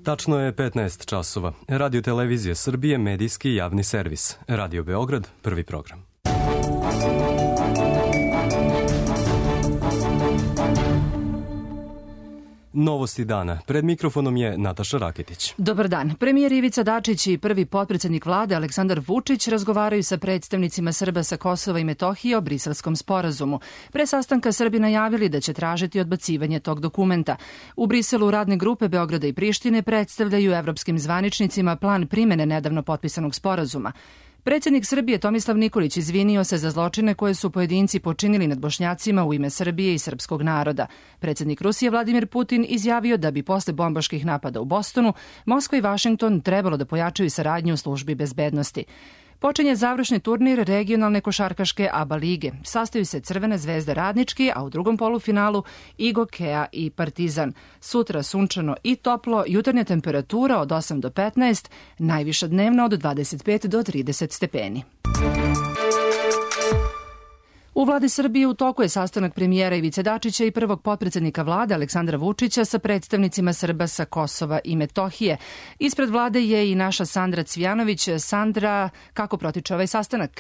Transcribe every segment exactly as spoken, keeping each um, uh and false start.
Tačno je petnaest časova. Radio Televizija Srbije, medijski javni servis. Radio Beograd, prvi program. Novosti dana. Pred mikrofonom je Nataša Raketić. Dobar dan. Premijer Ivica Dačić i prvi potpredsednik vlade Aleksandar Vučić razgovaraju sa predstavnicima Srba sa Kosova i Metohije o Briselskom sporazumu. Pre sastanka Srbi najavili da će tražiti odbacivanje tog dokumenta. U Briselu radne grupe Beograda i Prištine predstavljaju evropskim zvaničnicima plan primene nedavno potpisanog sporazuma. Predsjednik Srbije Tomislav Nikolić izvinio se za zločine koje su pojedinci počinili nad Bošnjacima u ime Srbije i srpskog naroda. Predsjednik Rusije Vladimir Putin izjavio da bi posle bombaških napada u Bostonu Moskva i Vašington trebalo da pojačaju saradnju u službi bezbednosti. Počinje završni turnir regionalne košarkaške ABA lige. Sastaju se Crvena zvezda Radnički, a u drugom polufinalu Igo, Kea i Partizan. Sutra sunčano i toplo, jutarnja temperatura od osam do petnaest, najviša dnevna od dvadeset pet do trideset stepeni. U vladi Srbije u toku je sastanak premijera Ivice Dačića i prvog potpredsednika vlade Aleksandra Vučića sa predstavnicima Srba sa Kosova i Metohije. Ispred vlade je i naša Sandra Cvijanović. Sandra, kako protiče ovaj sastanak?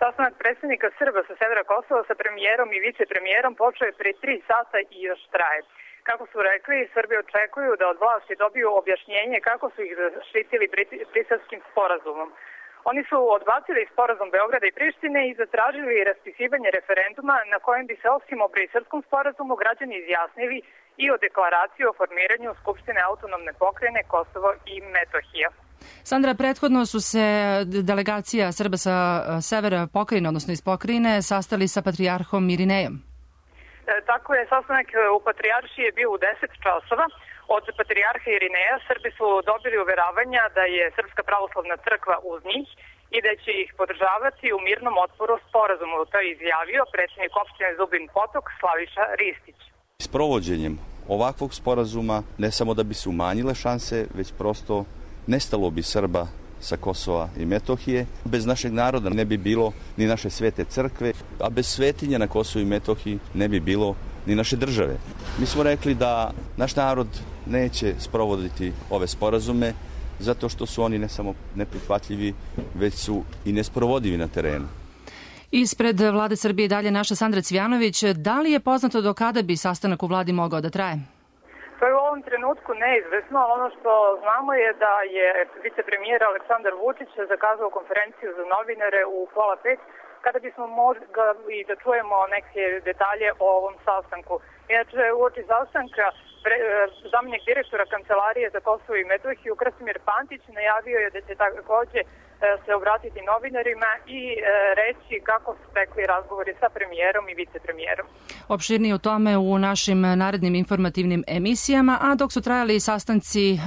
Sastanak predstavnika Srba sa severa Kosova sa premijerom i vicepremijerom počeo je pre tri sata i još traje. Kako su rekli, Srbi očekuju da od vlasti dobiju objašnjenje kako su ih zaštitili Briselskim sporazumom. Oni su odbacili sporazum Beograda i Prištine i zatražili raspisivanje referenduma na kojem bi se osim o Briselskom sporazumu građani izjasnili i o deklaraciji o formiranju Skupštine autonomne pokrajine Kosovo i Metohija. Sandra, prethodno su se delegacija Srba sa severa pokrajine, odnosno iz pokrajine, sastali sa patrijarhom Irinejom. E, tako je, sastanak u Patrijaršiji je bio u deset časova. Od patrijarha Irineja Srbi su dobili uveravanja da je Srpska pravoslavna crkva uz njih i da će ih podržavati u mirnom otporu sporazumu. To je izjavio predsjednik opštine Zubin Potok Slaviša Ristić. S provođenjem ovakvog sporazuma ne samo da bi se umanjile šanse, već prosto nestalo bi Srba sa Kosova i Metohije. Bez našeg naroda ne bi bilo ni naše svete crkve, a bez svetinja na Kosovu i Metohiji ne bi bilo ni naše države. Mi smo rekli da naš narod neće sprovoditi ove sporazume zato što su oni ne samo neprihvatljivi, već su i nesprovodivi na terenu. Ispred vlade Srbije dalje naša Sandra Cvijanović. Da li je poznato do kada bi sastanak u vladi mogao da traje? To je u ovom trenutku neizvesno, ali ono što znamo je da je vicepremijer Aleksandar Vučić zakazao konferenciju za novinare u pola pet, kada bismo mogli da čujemo neke detalje o ovom sastanku. Inače, uoči sastanka zamenik direktora Kancelarije za Kosovo i Metohiju Krasimir Pantić najavio je da će takođe se obratiti novinarima i reći kako su tekli razgovori sa premijerom i vicepremijerom. Opširnije o tome u našim narednim informativnim emisijama, a dok su trajali sastanci e,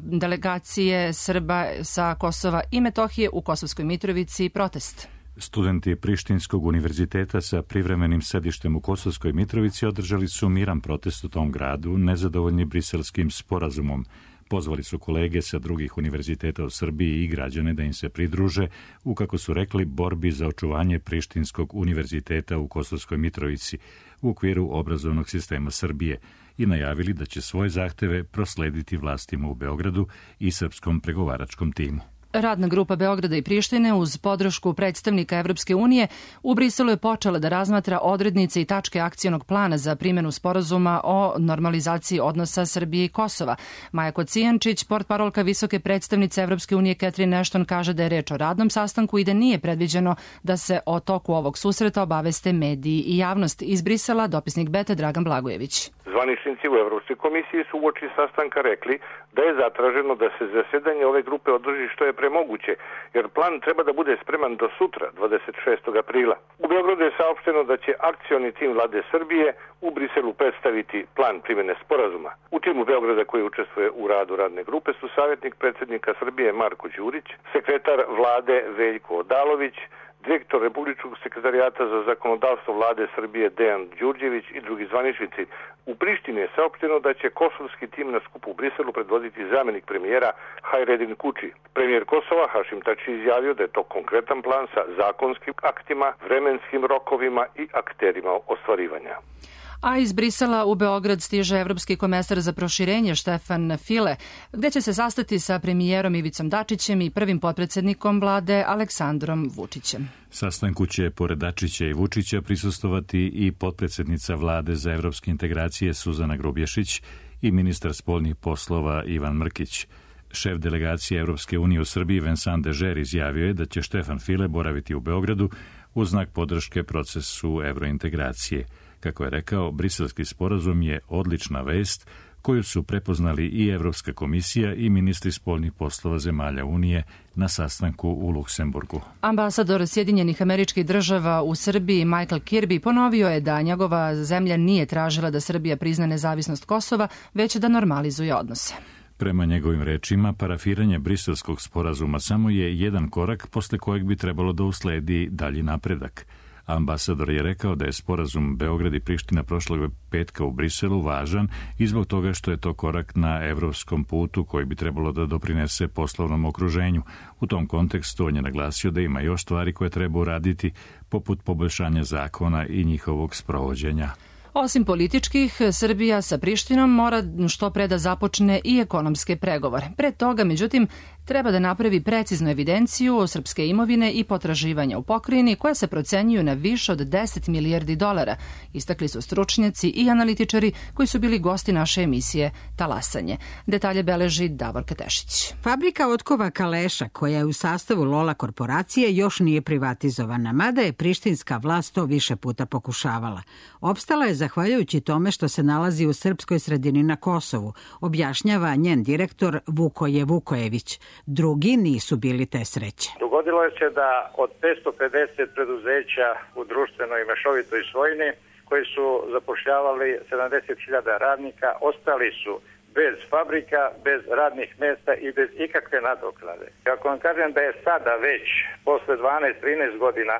delegacije Srba sa Kosova i Metohije u Kosovskoj Mitrovici protest. Studenti Prištinskog univerziteta sa privremenim sedištem u Kosovskoj Mitrovici održali su miran protest u tom gradu, nezadovoljni Briselskim sporazumom. Pozvali su kolege sa drugih univerziteta u Srbiji i građane da im se pridruže u, kako su rekli, borbi za očuvanje Prištinskog univerziteta u Kosovskoj Mitrovici u okviru obrazovnog sistema Srbije i najavili da će svoje zahteve proslediti vlastima u Beogradu i srpskom pregovaračkom timu. Radna grupa Beograda i Prištine uz podršku predstavnika Evropske unije u Briselu je počela da razmatra odrednice i tačke akcionog plana za primjenu sporazuma o normalizaciji odnosa Srbije i Kosova. Maja Kocijančić, portparolka visoke predstavnice Evropske unije Catherine Ashton, kaže da je reč o radnom sastanku i da nije predviđeno da se o toku ovog susreta obaveste mediji i javnost. Iz Brisela dopisnik Bete Dragan Blagojević. Zvaničnici u Evropskoj komisiji su uoči sastanka rekli da je zatraženo da se zasedanje ove grupe održi što je pre moguće, jer plan treba da bude spreman do sutra, dvadeset šestog aprila. U Beogradu je saopšteno da će akcioni tim vlade Srbije u Briselu predstaviti plan primjene sporazuma. U timu Beograda koji učestvuje u radu radne grupe su savjetnik predsjednika Srbije Marko Đurić, sekretar vlade Veljko Odalović, direktor Republičkog sekretarijata za zakonodavstvo vlade Srbije Dejan Đurđević i drugi zvaničnici. U Prištini je saopšteno da će kosovski tim na skupu u Briselu predvoditi zamjenik premijera Hajredin Kuči. Premijer Kosova Hašim Tači izjavio da je to konkretan plan sa zakonskim aktima, vremenskim rokovima i akterima ostvarivanja. A iz Brisela u Beograd stiže evropski komesar za proširenje Štefan File, gde će se sastati sa premijerom Ivicom Dačićem i prvim potpredsednikom vlade Aleksandrom Vučićem. Sastanku će, pored Dačića i Vučića, prisustovati i potpredsednica vlade za evropske integracije Suzana Grubješić i ministar spoljnih poslova Ivan Mrkić. Šef delegacije Evropske unije u Srbiji Vincent Dežer izjavio je da će Štefan File boraviti u Beogradu u znak podrške procesu evrointegracije. Kako je rekao, briselski sporazum je odlična vest koju su prepoznali i Evropska komisija i ministri spoljnih poslova zemalja Unije na sastanku u Luksemburgu. Ambasador Sjedinjenih Američkih Država u Srbiji Michael Kirby ponovio je da njegova zemlja nije tražila da Srbija prizna nezavisnost Kosova, već da normalizuje odnose. Prema njegovim rečima, parafiranje briselskog sporazuma samo je jedan korak posle kojeg bi trebalo da usledi dalji napredak. Ambasador je rekao da je sporazum Beograd i Priština prošlog petka u Briselu važan i zbog toga što je to korak na evropskom putu koji bi trebalo da doprinese poslovnom okruženju. U tom kontekstu on je naglasio da ima još stvari koje treba uraditi, poput poboljšanja zakona i njihovog sprovođenja. Osim političkih, Srbija sa Prištinom mora što pre da započne i ekonomske pregovore. Pre toga, međutim, treba da napravi preciznu evidenciju o srpske imovine i potraživanja u pokrajini koja se procenjuju na više od deset milijardi dolara, istakli su stručnjaci i analitičari koji su bili gosti naše emisije Talasanje. Detalje beleži Davorka Tešić. Fabrika otkova Kaleša, koja je u sastavu Lola korporacije, još nije privatizovana, mada je prištinska vlast to više puta pokušavala. Opstala je zahvaljujući tome što se nalazi u srpskoj sredini na Kosovu, objašnjava njen direktor Vukoje Vukojević. Drugi nisu bili te sreće. Dogodilo je se da od petsto pedeset preduzeća u društvenoj i mešovitoj svojini koji su zapošljavali sedamdeset hiljada radnika, ostali su bez fabrika, bez radnih mesta i bez ikakve nadoknade. Ako vam kažem da je sada već, posle dvanaest trinaest godina,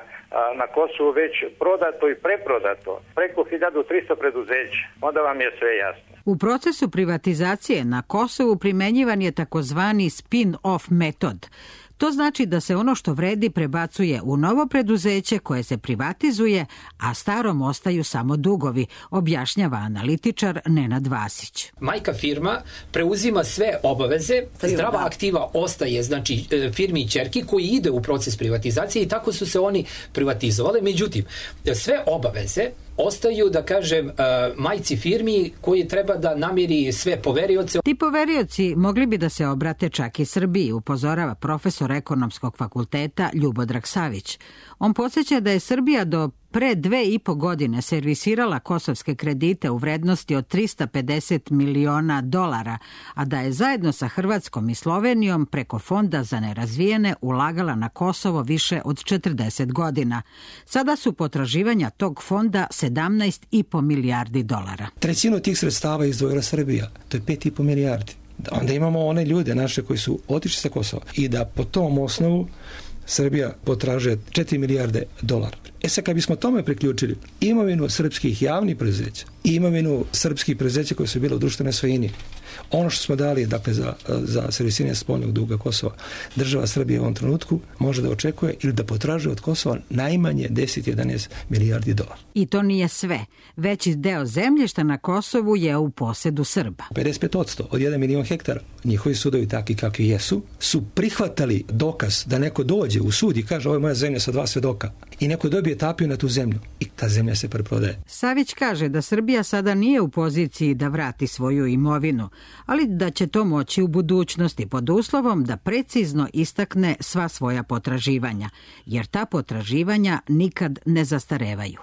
na Kosovu već prodato i preprodato preko hiljadu trista preduzeća, onda vam je sve jasno. U procesu privatizacije na Kosovu primenjivan je takozvani spin-off metod. To znači da se ono što vredi prebacuje u novo preduzeće koje se privatizuje, a starom ostaju samo dugovi, objašnjava analitičar Nenad Vasić. Majka firma preuzima sve obaveze, zdrava aktiva ostaje, znači firmi i ćerki koji ide u proces privatizacije i tako su se oni privatizovali. Međutim, sve obaveze ostaju, da kažem, majci firmi koji treba da namiri sve poverioce. Ti poverioci mogli bi da se obrate čak i Srbiji, upozorava profesor ekonomskog fakulteta Ljubodrag Savić. On podsjeća da je Srbija do pre dve i po godine servisirala kosovske kredite u vrednosti od trista pedeset miliona dolara, a da je zajedno sa Hrvatskom i Slovenijom preko Fonda za nerazvijene ulagala na Kosovo više od četrdeset godina. Sada su potraživanja tog fonda sedamnaest i po milijardi dolara. Trećinu tih sredstava izdvojila Srbija, to je pet i po milijardi. Onda imamo one ljude naše koji su otišli sa Kosova i da po tom osnovu Srbija potražuje četiri milijarde dolara. E sad kad bismo tome priključili imovinu srpskih javnih preduzeća i imovinu srpskih preduzeća koje su bile u društvenoj svojini, ono što smo dali dakle, za, za servisiranje spoljnog duga Kosova, država Srbije u ovom trenutku može da očekuje ili da potražuje od Kosova najmanje deset do jedanaest milijardi dolara. I to nije sve. Veći deo zemljišta na Kosovu je u posedu Srba. pedeset pet posto od jedan milion hektara, njihovi sudovi takvi kakvi jesu, su prihvatali dokaz da neko dođe u sud i kaže ovo je moja zemlja sa dva svedoka i neko dobije tapiju na tu zemlju i ta zemlja se preprodaje. Savić kaže da Srbija sada nije u poziciji da vrati svoju imovinu, ali da će to moći u budućnosti pod uslovom da precizno istakne sva svoja potraživanja, jer ta potraživanja nikad ne zastarevaju.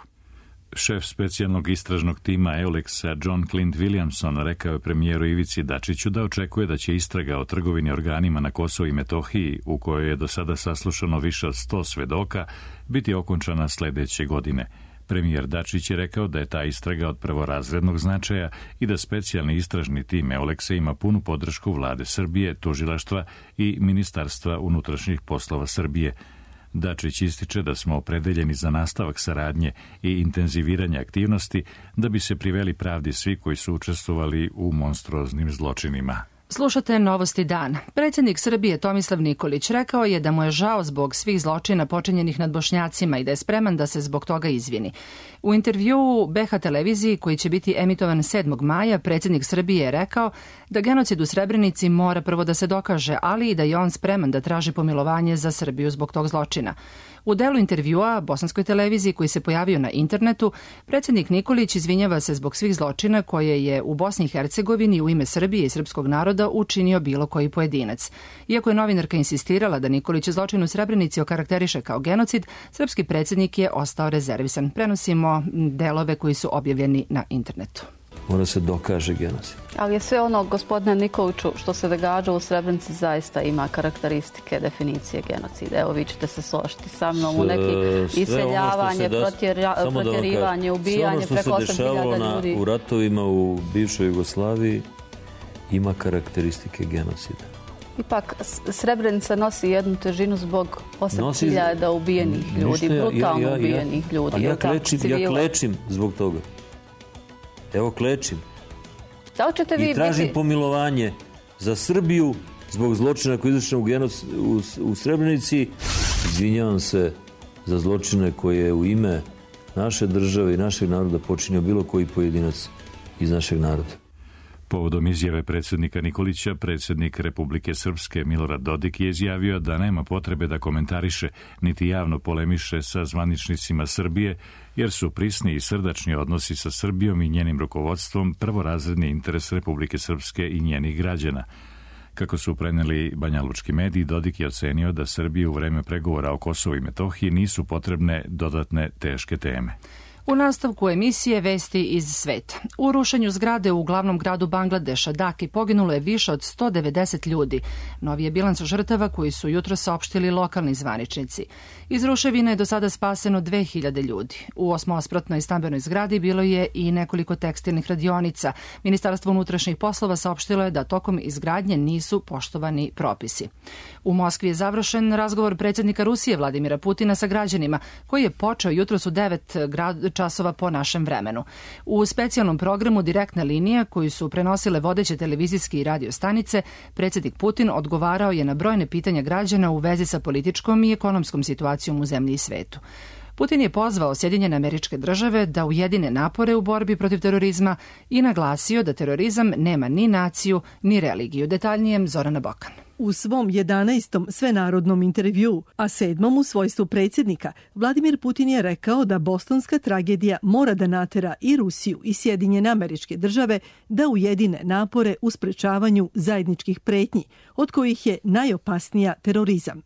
Šef specijalnog istražnog tima Euleksa John Clint Williamson rekao je premijeru Ivici Dačiću da očekuje da će istraga o trgovini organima na Kosovu i Metohiji, u kojoj je do sada saslušano više od sto svedoka, biti okončana sledeće godine. Premijer Dačić je rekao da je ta istraga od prvorazrednog značaja i da specijalni istražni tim Euleksa ima punu podršku vlade Srbije, tužilaštva i Ministarstva unutrašnjih poslova Srbije. Dačić ističe da smo opredeljeni za nastavak saradnje i intenziviranje aktivnosti da bi se priveli pravdi svi koji su učestvovali u monstruoznim zločinima. Slušate Novosti dana. Predsjednik Srbije Tomislav Nikolić rekao je da mu je žao zbog svih zločina počinjenih nad Bošnjacima i da je spreman da se zbog toga izvini. U intervjuu B H televiziji koji će biti emitovan sedmog maja, predsjednik Srbije je rekao da genocid u Srebrenici mora prvo da se dokaže, ali i da je on spreman da traži pomilovanje za Srbiju zbog tog zločina. U delu intervjua bosanskoj televiziji koji se pojavio na internetu, predsjednik Nikolić izvinjava se zbog svih zločina koje je u Bosni i Hercegovini u ime Srbije i srpskog naroda učinio bilo koji pojedinac. Iako je novinarka insistirala da Nikolić zločin u Srebrenici okarakteriše kao genocid, srpski predsjednik je ostao rezervisan. Prenosimo delove koji su objavljeni na internetu. Mora se dokaže genocid. Ali je sve ono, gospodine Nikoliću, što se događa u Srebrenici zaista ima karakteristike definicije genocida. Evo, vi ćete se složiti sa mnom u neki iseljavanje, protjerivanje, ubijanje preko osam hiljada ljudi. U ratovima u bivšoj Jugoslaviji ima karakteristike genocida. Ipak, Srebrenica nosi jednu težinu zbog osam hiljada ubijenih ljudi, brutalno ubijenih ljudi. Ja klečim zbog toga. Evo klečim. Da li ćete vi I tražim biti... pomilovanje za Srbiju zbog zločina koji je izvršen u, u, u Srebrenici. Izvinjavam se za zločine koje je u ime naše države i našeg naroda počinio bilo koji pojedinac iz našeg naroda. Povodom izjave predsjednika Nikolića, predsjednik Republike Srpske Milorad Dodik je izjavio da nema potrebe da komentariše niti javno polemiše sa zvaničnicima Srbije, jer su prisni i srdačni odnosi sa Srbijom i njenim rukovodstvom prvorazredni interes Republike Srpske i njenih građana. Kako su preneli banjalučki mediji, Dodik je ocenio da Srbiji u vreme pregovora o Kosovu i Metohiji nisu potrebne dodatne teške teme. U nastavku emisije Vesti iz sveta. U rušenju zgrade u glavnom gradu Bangladeša, Daki, poginulo je više od sto devedeset ljudi. Novi je bilans žrtava koji su jutro saopštili lokalni zvaničnici. Iz ruševina je do sada spaseno dve hiljade ljudi. U osmospratnoj stambenoj zgradi bilo je i nekoliko tekstilnih radionica. Ministarstvo unutrašnjih poslova saopštilo je da tokom izgradnje nisu poštovani propisi. U Moskvi je završen razgovor predsjednika Rusije Vladimira Putina sa građanima, koji je počeo jutros u devet časova po našem vremenu. U specijalnom programu Direktna linija, koju su prenosile vodeće televizijske i radio stanice, predsjednik Putin odgovarao je na brojne pitanja građana u vezi sa političkom i ekonomskom situacijom u zemlji i svetu. Putin je pozvao Sjedinjene Američke Države da ujedine napore u borbi protiv terorizma i naglasio da terorizam nema ni naciju, ni religiju. Detaljnijem Zorana Bokan. U svom jedanaestom svenarodnom intervjuu, a sedmom u svojstvu predsjednika, Vladimir Putin je rekao da bostonska tragedija mora da natera i Rusiju i Sjedinjene Američke Države da ujedine napore u sprečavanju zajedničkih pretnji, od kojih je najopasnija terorizam.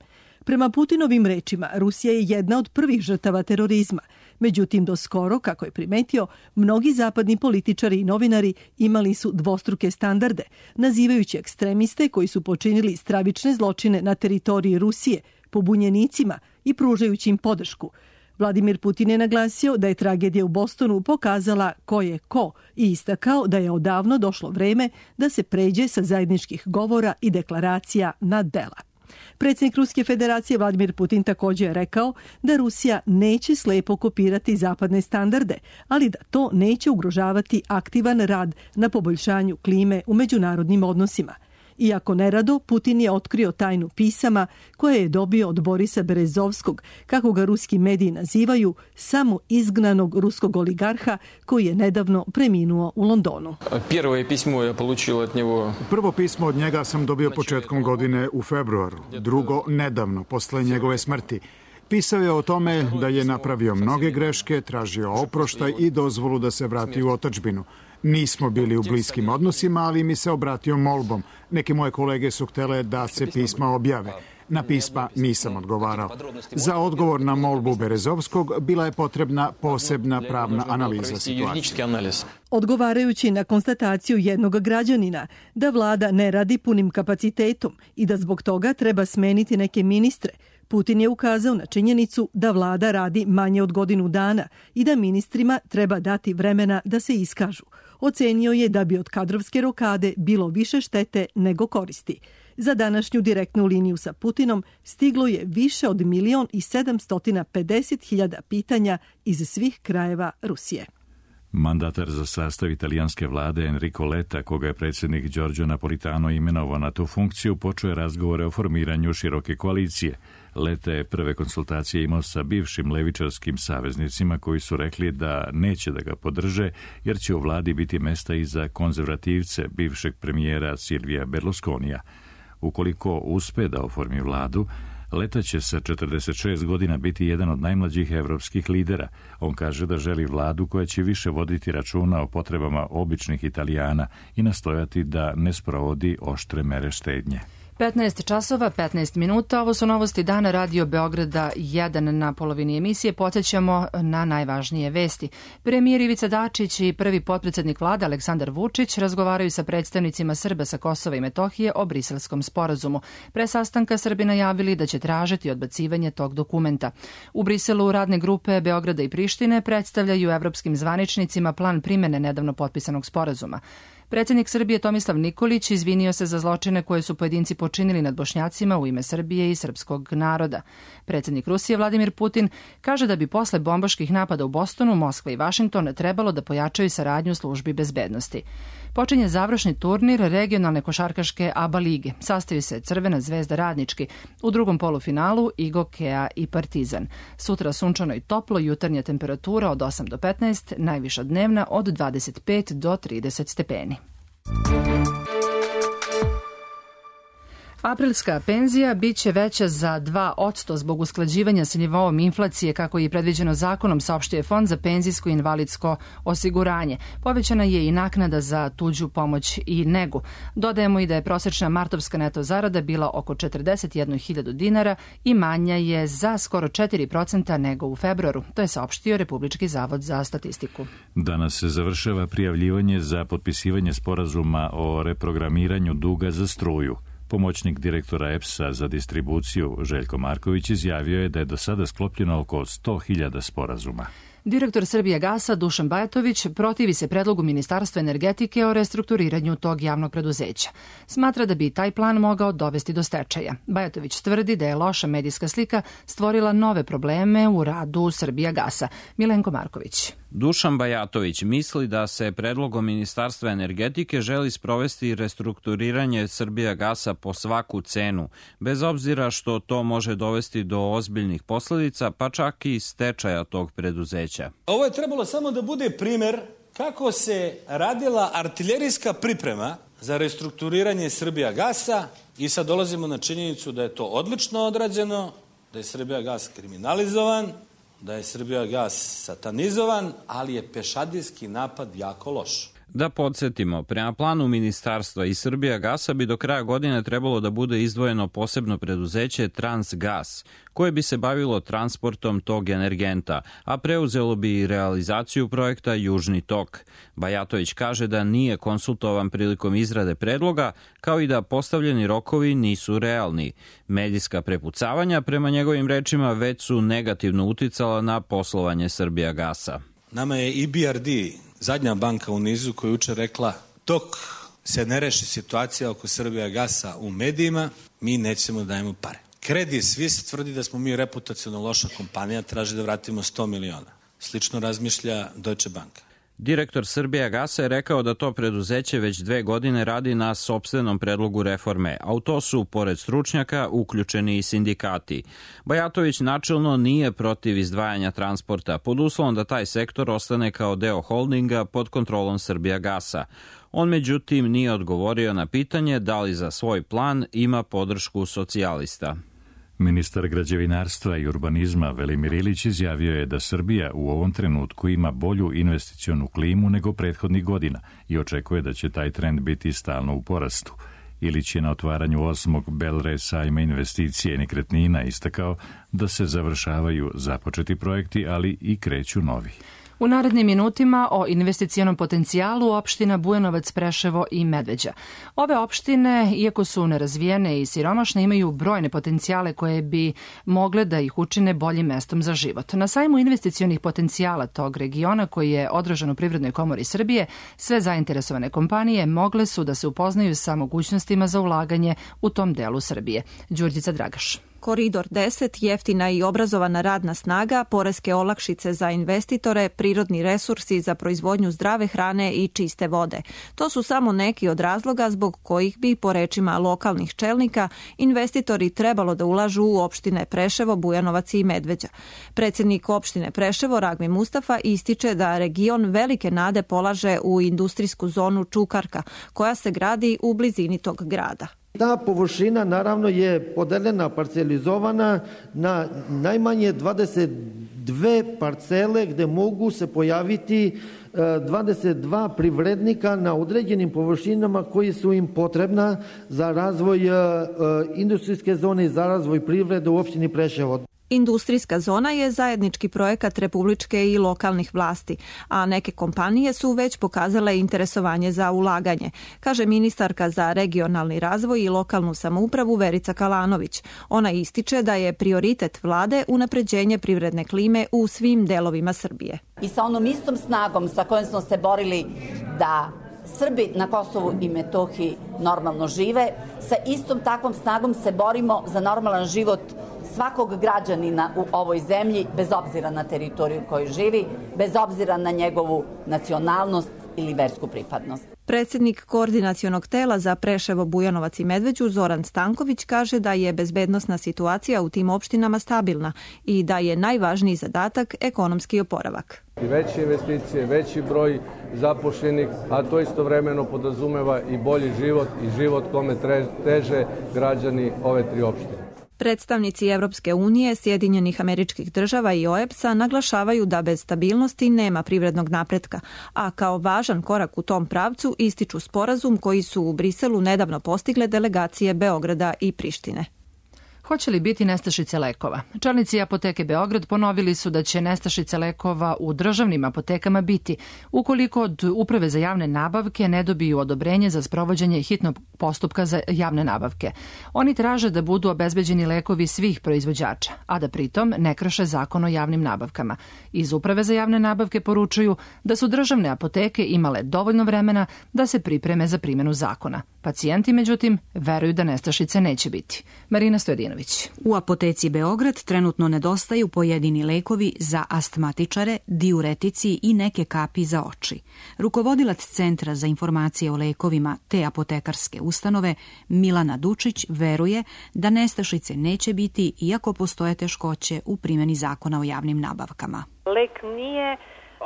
Prema Putinovim rečima, Rusija je jedna od prvih žrtava terorizma. Međutim, do skoro, kako je primetio, mnogi zapadni političari i novinari imali su dvostruke standarde, nazivajući ekstremiste koji su počinili stravične zločine na teritoriji Rusije pobunjenicima i pružajući im podršku. Vladimir Putin je naglasio da je tragedija u Bostonu pokazala ko je ko i istakao da je odavno došlo vreme da se pređe sa zajedničkih govora i deklaracija na dela. Predsjednik Ruske federacije Vladimir Putin također je rekao da Rusija neće slepo kopirati zapadne standarde, ali da to neće ugrožavati aktivan rad na poboljšanju klime u međunarodnim odnosima. Iako nerado, Putin je otkrio tajnu pisama koje je dobio od Borisa Berezovskog, kako ga ruski mediji nazivaju, samo izgnanog ruskog oligarha koji je nedavno preminuo u Londonu. Prvo pismo od njega sam dobio početkom godine u februaru, drugo nedavno, posle njegove smrti. Pisao je o tome da je napravio mnoge greške, tražio oproštaj i dozvolu da se vrati u otadžbinu. Nismo bili u bliskim odnosima, ali mi se obratio molbom. Neke moje kolege su htele da se pisma objave. Na pisma nisam odgovarao. Za odgovor na molbu Berezovskog bila je potrebna posebna pravna analiza situacije. Odgovarajući na konstataciju jednog građanina da vlada ne radi punim kapacitetom i da zbog toga treba smeniti neke ministre, Putin je ukazao na činjenicu da vlada radi manje od godinu dana i da ministrima treba dati vremena da se iskažu. Ocenio je da bi od kadrovske rokade bilo više štete nego koristi. Za današnju direktnu liniju sa Putinom stiglo je više od milion i sedamsto pedeset hiljada pitanja iz svih krajeva Rusije. Mandatar za sastav italijanske vlade Enrico Letta, koga je predsjednik Giorgio Napolitano imenovao na tu funkciju, počeo je razgovore o formiranju široke koalicije. Letta je prve konsultacije imao sa bivšim levičarskim saveznicima koji su rekli da neće da ga podrže jer će u vladi biti mesta i za konzervativce bivšeg premijera Silvija Berlusconija. Ukoliko uspe da oformi vladu, Letta će sa četrdeset šest godina biti jedan od najmlađih evropskih lidera. On kaže da želi vladu koja će više voditi računa o potrebama običnih Italijana i nastojati da ne sprovodi oštre mere štednje. petnaest časova, petnaest minuta, ovo su novosti dana Radio Beograda jedan. Na polovini emisije podsjećamo na najvažnije vesti. Premijer Ivica Dačić i prvi potpredsednik vlade Aleksandar Vučić razgovaraju sa predstavnicima Srba sa Kosova i Metohije o Briselskom sporazumu. Pre sastanka Srbi najavili da će tražiti odbacivanje tog dokumenta. U Briselu radne grupe Beograda i Prištine predstavljaju evropskim zvaničnicima plan primene nedavno potpisanog sporazuma. Predsjednik Srbije Tomislav Nikolić izvinio se za zločine koje su pojedinci počinili nad Bošnjacima u ime Srbije i srpskog naroda. Predsjednik Rusije Vladimir Putin kaže da bi posle bombaških napada u Bostonu, Moskva i Vašington trebalo da pojačaju saradnju službi bezbednosti. Počinje završni turnir regionalne košarkaške A B A lige. Sastaju se Crvena zvezda Radnički. U drugom polufinalu Igo, Kea i Partizan. Sutra sunčano i toplo, jutarnja temperatura od osam do petnaest, najviša dnevna od dvadeset pet do trideset stepeni. Aprilska penzija biće veća za dva posto zbog usklađivanja sa nivoom inflacije kako je predviđeno zakonom, saopštio Fond za penzijsko i invalidsko osiguranje. Povećana je i naknada za tuđu pomoć i negu. Dodajemo i da je prosečna martovska neto zarada bila oko četrdeset jednu hiljadu dinara i manja je za skoro četiri procenta nego u februaru. To je saopštio Republički zavod za statistiku. Danas se završava prijavljivanje za potpisivanje sporazuma o reprogramiranju duga za struju. Pomoćnik direktora E P S-a za distribuciju Željko Marković izjavio je da je do sada sklopljeno oko sto hiljada sporazuma. Direktor Srbijagasa Dušan Bajatović protivi se predlogu Ministarstva energetike o restrukturiranju tog javnog preduzeća. Smatra da bi taj plan mogao dovesti do stečaja. Bajatović tvrdi da je loša medijska slika stvorila nove probleme u radu Srbijagasa. Milenko Marković. Dušan Bajatović misli da se predlogom Ministarstva energetike želi sprovesti restrukturiranje Srbijagasa po svaku cenu, bez obzira što to može dovesti do ozbiljnih posledica, pa čak i stečaja tog preduzeća. Ovo je trebalo samo da bude primer kako se radila artiljerijska priprema za restrukturiranje Srbijagasa i sad dolazimo na činjenicu da je to odlično odrađeno, da je Srbijagas kriminalizovan, da je Srbijagas satanizovan, ali je pešadijski napad jako loš. Da podsjetimo, prema planu ministarstva i Srbijagasa bi do kraja godine trebalo da bude izdvojeno posebno preduzeće Transgas, koje bi se bavilo transportom tog energenta, a preuzelo bi i realizaciju projekta Južni tok. Bajatović kaže da nije konsultovan prilikom izrade predloga, kao i da postavljeni rokovi nisu realni. Medijska prepucavanja, prema njegovim rečima, već su negativno uticala na poslovanje Srbijagasa. Nama je E B R D, zadnja banka u nizu, koja je juče rekla dok se ne reši situacija oko Srbijagasa u medijima, mi nećemo da dajemo pare. Credit Suisse tvrdi da smo mi reputacionalno loša kompanija, traži da vratimo sto miliona. Slično razmišlja Deutsche Bank. Direktor Srbijagasa je rekao da to preduzeće već dve godine radi na sopstvenom predlogu reforme, a u to su, pored stručnjaka, uključeni i sindikati. Bajatović načelno nije protiv izdvajanja transporta, pod uslovom da taj sektor ostane kao deo holdinga pod kontrolom Srbijagasa. On međutim nije odgovorio na pitanje da li za svoj plan ima podršku socijalista. Ministar građevinarstva i urbanizma Velimir Ilić izjavio je da Srbija u ovom trenutku ima bolju investicionu klimu nego prethodnih godina i očekuje da će taj trend biti stalno u porastu. Ilić je na otvaranju osmog Belre sajma investicije i nekretnina istakao da se završavaju započeti projekti, ali i kreću novi. U narednim minutima o investicionom potencijalu opština Bujanovac, Preševo i Medveđa. Ove opštine, iako su nerazvijene i siromašne, imaju brojne potencijale koje bi mogle da ih učine boljim mestom za život. Na sajmu investicionih potencijala tog regiona, koji je održan u Privrednoj komori Srbije, sve zainteresovane kompanije mogle su da se upoznaju sa mogućnostima za ulaganje u tom delu Srbije. Đurđica Dragaš. Koridor deset, jeftina i obrazovana radna snaga, poreske olakšice za investitore, prirodni resursi za proizvodnju zdrave hrane i čiste vode. To su samo neki od razloga zbog kojih bi, po rečima lokalnih čelnika, investitori trebalo da ulažu u opštine Preševo, Bujanovac i Medveđa. Predsjednik opštine Preševo, Ragmi Mustafa, ističe da region velike nade polaže u industrijsku zonu Čukarka, koja se gradi u blizini tog grada. Ta površina naravno je podeljena, parcelizovana na najmanje dvadeset dve parcele gde mogu se pojaviti dvadeset dva privrednika na određenim površinama koji su im potrebna za razvoj industrijske zone i za razvoj privrede u opštini Preševo. Industrijska zona je zajednički projekat republičke i lokalnih vlasti, a neke kompanije su već pokazale interesovanje za ulaganje, kaže ministarka za regionalni razvoj i lokalnu samoupravu Verica Kalanović. Ona ističe da je prioritet vlade unapređenje privredne klime u svim delovima Srbije. I sa onom istom snagom sa kojom smo se borili da Srbi na Kosovu i Metohiji normalno žive, sa istom takvom snagom se borimo za normalan život svakog građanina u ovoj zemlji, bez obzira na teritoriju koju živi, bez obzira na njegovu nacionalnost ili versku pripadnost. Predsjednik koordinacionog tela za Preševo, Bujanovac i Medveđu Zoran Stanković kaže da je bezbednosna situacija u tim opštinama stabilna i da je najvažniji zadatak ekonomski oporavak. I veće investicije, veći broj zaposlenih, a to istovremeno podrazumeva i bolji život i život kome teže građani ove tri opštine. Predstavnici Evropske unije, Sjedinjenih Američkih Država i O E B S-a naglašavaju da bez stabilnosti nema privrednog napretka, a kao važan korak u tom pravcu ističu sporazum koji su u Briselu nedavno postigle delegacije Beograda i Prištine. Hoće li biti nestašice lekova? Čelnici apoteke Beograd ponovili su da će nestašice lekova u državnim apotekama biti ukoliko od Uprave za javne nabavke ne dobiju odobrenje za sprovođenje hitnog postupka za javne nabavke. Oni traže da budu obezbeđeni lekovi svih proizvođača, a da pritom ne krše zakon o javnim nabavkama. Iz Uprave za javne nabavke poručuju da su državne apoteke imale dovoljno vremena da se pripreme za primjenu zakona. Pacijenti, međutim, veruju da nestašice neće biti. Marina Stojedinović. U apoteci Beograd trenutno nedostaju pojedini lekovi za astmatičare, diuretici i neke kapi za oči. Rukovodilac Centra za informacije o lekovima te apotekarske ustanove, Milana Dučić, veruje da nestašice neće biti iako postoje teškoće u primjeni zakona o javnim nabavkama. Lek nije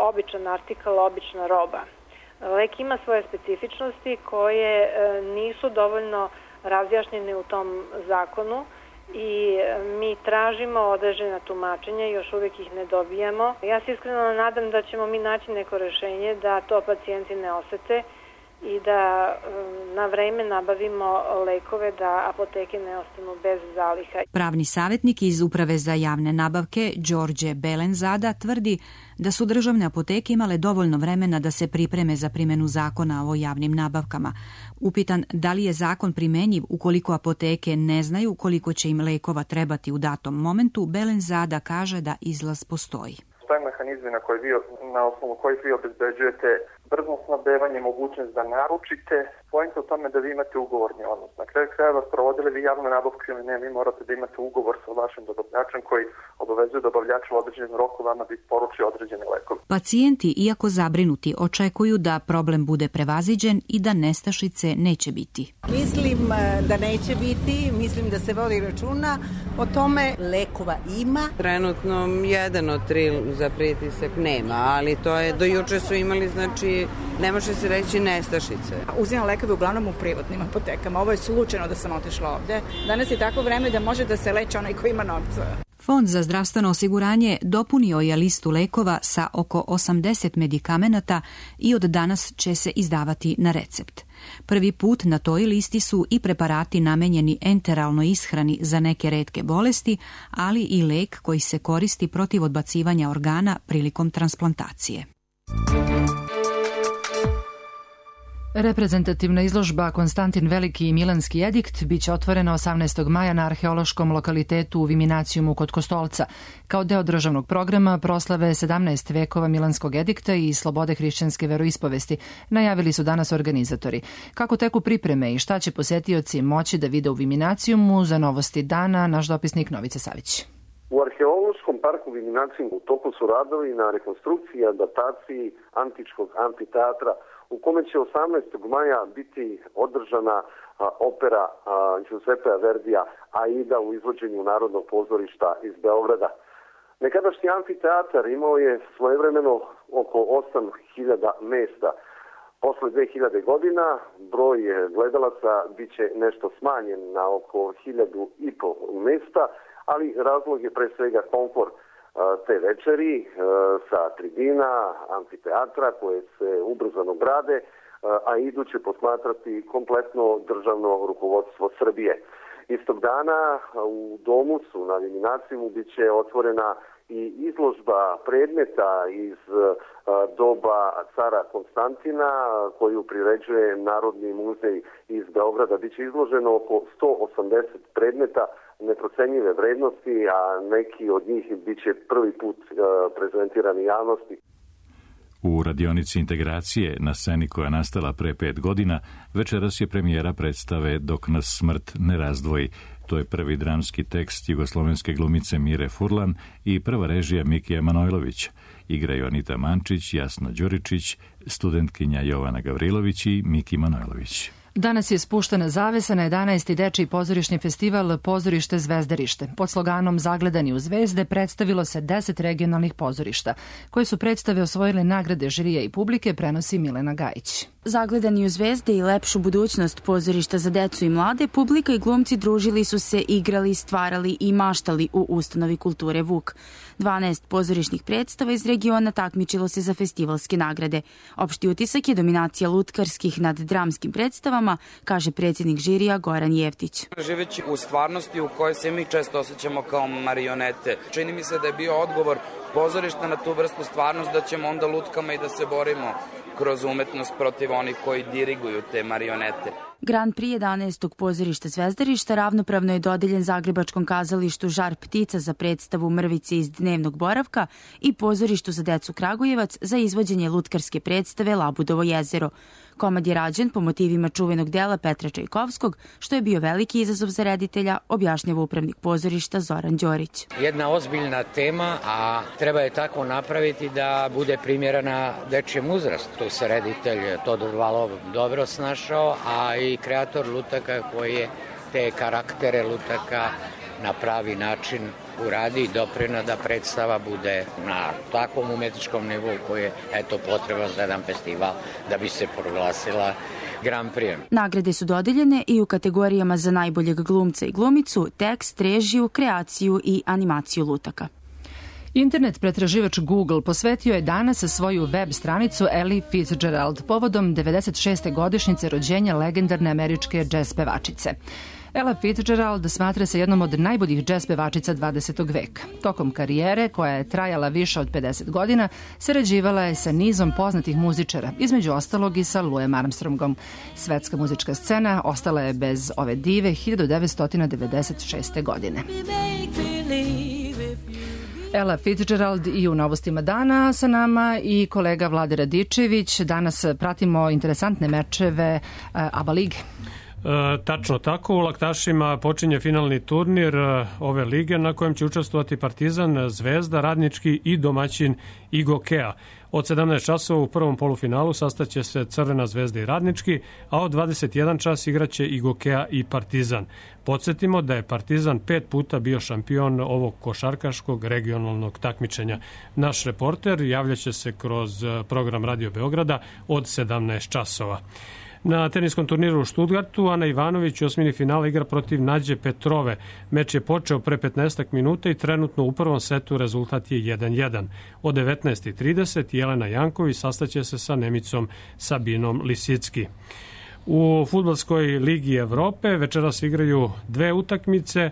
običan artikal, obična roba. Lek ima svoje specifičnosti koje nisu dovoljno razjašnjene u tom zakonu i mi tražimo određena tumačenja, još uvijek ih ne dobijamo. Ja se iskreno nadam da ćemo mi naći neko rješenje da to pacijenti ne osete i da na vreme nabavimo lekove da apoteke ne ostanu bez zaliha. Pravni savjetnik iz Uprave za javne nabavke Đorđe Belenzada tvrdi da su državne apoteke imale dovoljno vremena da se pripreme za primjenu zakona o javnim nabavkama. Upitan da li je zakon primenjiv ukoliko apoteke ne znaju koliko će im lekova trebati u datom momentu, Belenzada kaže da izlaz postoji. Postoje mehanizmi na, koji vi, na osnovu kojih vi obezbeđujete brzo snabdevanje, mogućnost da naručite. Pojenta u tome da vi imate ugovorni odnos. Na kraju krajeva, sprovodili vi javnu nabavku ili ne, vi morate da imate ugovor sa vašim dobavljačem koji obavezuje dobavljača u određenom roku vama da isporuči određene lekove. Pacijenti, iako zabrinuti, očekuju da problem bude prevaziđen i da nestašice neće biti. Mislim da neće biti, mislim da se vodi računa o tome. Lekova ima. Trenutno jedan od tri za pritisak nema, ali to je, do juče su imali, znači, ne može se reći nestašice. Uzimam lekove uglavnom u privatnim apotekama. Ovo je slučajno da sam otišla ovde. Danas je tako vreme da može da se leče onaj ko ima novca. Fond za zdravstveno osiguranje dopunio je listu lekova sa oko osamdeset medikamenata i od danas će se izdavati na recept. Prvi put na toj listi su i preparati namenjeni enteralnoj ishrani za neke retke bolesti, ali i lek koji se koristi protiv odbacivanja organa prilikom transplantacije. Reprezentativna izložba Konstantin Veliki i Milanski edikt biće otvorena osamnaestog maja na arheološkom lokalitetu u Viminacijumu kod Kostolca, kao deo državnog programa proslave sedamnaest vekova Milanskog edikta i slobode hrišćanske veroispovesti, najavili su danas organizatori. Kako teku pripreme i šta će posetioci moći da vide u Viminacijumu, za novosti dana naš dopisnik Novica Savić. U arheološkom parku Viminacijum u toku su radovi na rekonstrukciji i adaptaciji antičkog amfiteatra, u kome će osamnaestog maja biti održana a, opera a, Giuseppea Verdija Aida u izvođenju Narodnog pozorišta iz Beograda. Nekadašnji amfiteatar imao je svojevremeno oko osam hiljada mesta. Posle dve hiljade godina broj gledalaca biće nešto smanjen na oko hiljadu i po mesta, ali razlog je pre svega komfor te večeri sa tribina, amfiteatra koje se ubrzano grade, a idu će posmatrati kompletno državno rukovodstvo Srbije. Istog dana u domu su na Viminacijumu biće otvorena i izložba predmeta iz doba cara Konstantina koju priređuje Narodni muzej iz Beograda. Biće izloženo oko sto osamdeset predmeta neprocenjive vrednosti, a neki od njih biće prvi put prezentirani javnosti. U radionici integracije na sceni koja je nastala pre pet godina, večeras je premijera predstave Dok nas smrt ne razdvoji. To je prvi dramski tekst jugoslovenske glumice Mire Furlan i prva režija Mikija Manojlovića. Igraju Anita Mančić, Jasna Đuričić, studentkinja Jovana Gavrilović i Miki Manojlović. Danas je spuštena zavesa na jedanaesti dečiji pozorišni festival Pozorište Zvezdarište. Pod sloganom Zagledani u zvezde predstavilo se deset regionalnih pozorišta, koje su predstave osvojile nagrade žirija i publike, prenosi Milena Gajić. Zagledani u zvezde i lepšu budućnost pozorišta za decu i mlade, publika i glumci družili su se, igrali, stvarali i maštali u ustanovi kulture Vuk. dvanaest pozorišnih predstava iz regiona takmičilo se za festivalske nagrade. Opšti utisak je dominacija lutkarskih nad dramskim predstavama, kaže predsjednik žirija Goran Jeftić. Živeći u stvarnosti u kojoj se mi često osjećamo kao marionete, čini mi se da je bio odgovor pozorišta na tu vrstu stvarnost da ćemo onda lutkama i da se borimo kroz umetnost protiv onih koji diriguju te marionete. Grand Prix jedanaestog pozorišta Zvezdarišta ravnopravno je dodeljen Zagrebačkom kazalištu Žar ptica za predstavu Mrvice iz dnevnog boravka i pozorištu za decu Kragujevac za izvođenje lutkarske predstave Labudovo jezero. Komad je rađen po motivima čuvenog dela Petra Čajkovskog, što je bio veliki izazov za reditelja, objašnjava upravnik pozorišta Zoran Đorić. Jedna ozbiljna tema, a treba je tako napraviti da bude primjerena dečijem uzrastu. Tu se reditelj Todor Valov dobro snašao, a i kreator lutaka koji je te karaktere lutaka na pravi način uradi i doprina da predstava bude na takvom umetničkom nivou koji je eto potreban za jedan festival da bi se proglasila Grand Prix. Nagrade su dodeljene i u kategorijama za najboljeg glumca i glumicu, tekst, režiju, kreaciju i animaciju lutaka. Internet pretraživač Google posvetio je danas svoju web stranicu Ella Fitzgerald povodom devedeset šeste godišnjice rođenja legendarne američke džez pevačice. Ella Fitzgerald smatra se jednom od najboljih džez pevačica dvadesetog veka. Tokom karijere, koja je trajala više od pedeset godina, sarađivala je sa nizom poznatih muzičara, između ostalog i sa Louisem Armstrongom. Svetska muzička scena ostala je bez ove dive hiljadu devetsto devedeset šeste. godine. Ella Fitzgerald i u novostima dana sa nama i kolega Vlade Radičević. Danas pratimo interesantne mečeve ABA lige. E, tačno tako, u Laktašima počinje finalni turnir ove lige na kojem će učestvovati Partizan, Zvezda, Radnički i domaćin Igokea. Od sedamnaest časova u prvom polufinalu sastaće se Crvena Zvezda i Radnički, a od dvadeset jedan čas igraće Igokea i Partizan. Podsjetimo da je Partizan pet puta bio šampion ovog košarkaškog regionalnog takmičenja. Naš reporter javljaće se kroz program Radio Beograda od sedamnaest časova. Na teniskom turniru u Stuttgartu Ana Ivanović u osmini finala igra protiv Nađe Petrove. Meč je počeo pre petnaest minuta i trenutno u prvom setu rezultat je jedan jedan. Od devetnaest i trideset Jelena Janković sastaće se sa Nemicom Sabinom Lisicki. U fudbalskoj ligi Evrope večeras igraju dve utakmice.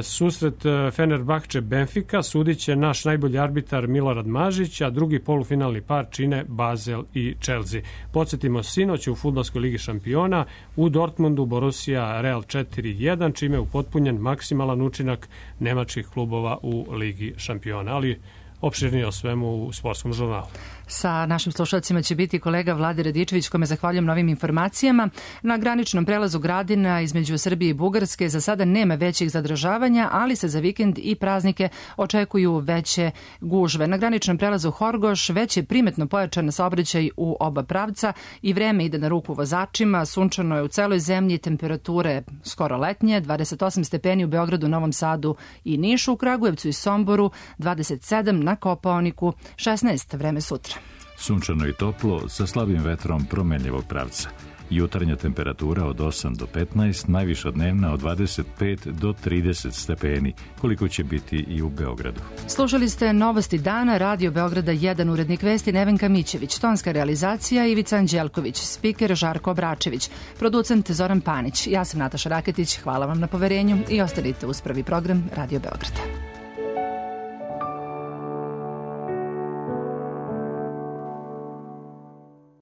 susret Fenerbahče Benfica sudit će naš najbolji arbitar Milorad Mažić, a drugi polufinalni par čine Basel i Chelsea. Podsjetimo, sinoć u Fudbalskoj ligi šampiona u Dortmundu Borussia Real četiri jedan, čime je upotpunjen maksimalan učinak nemačkih klubova u ligi šampiona. Ali opširnije o svemu u sportskom žurnalu. Sa našim slušalcima će biti kolega Vlade Radičević, kome zahvaljujem na ovim informacijama. Na graničnom prelazu Gradina između Srbije i Bugarske za sada nema većih zadržavanja, ali se za vikend i praznike očekuju veće gužve. Na graničnom prelazu Horgoš već je primetno pojačan saobraćaj u oba pravca i vreme ide na ruku vozačima. Sunčano je u celoj zemlji, temperature skoro letnje, dvadeset osam stepeni u Beogradu, Novom Sadu i Nišu, u Kragujevcu i Somboru, dvadeset sedam, na Kopaoniku šesnaest, vreme sutra. Sunčano i toplo sa slabim vetrom promenljivog pravca. Jutarnja temperatura od osam do petnaest, najviša dnevna od dvadeset pet do trideset stepeni, koliko će biti i u Beogradu. Slušali ste Novosti dana, Radio Beograda jedan, urednik vesti Nevenka Mićević, tonska realizacija Ivica Anđelković, spiker Žarko Obračević, producent Zoran Panić. Ja sam Nataša Raketić, hvala vam na poverenju i ostanite uz prvi program Radio Beograda.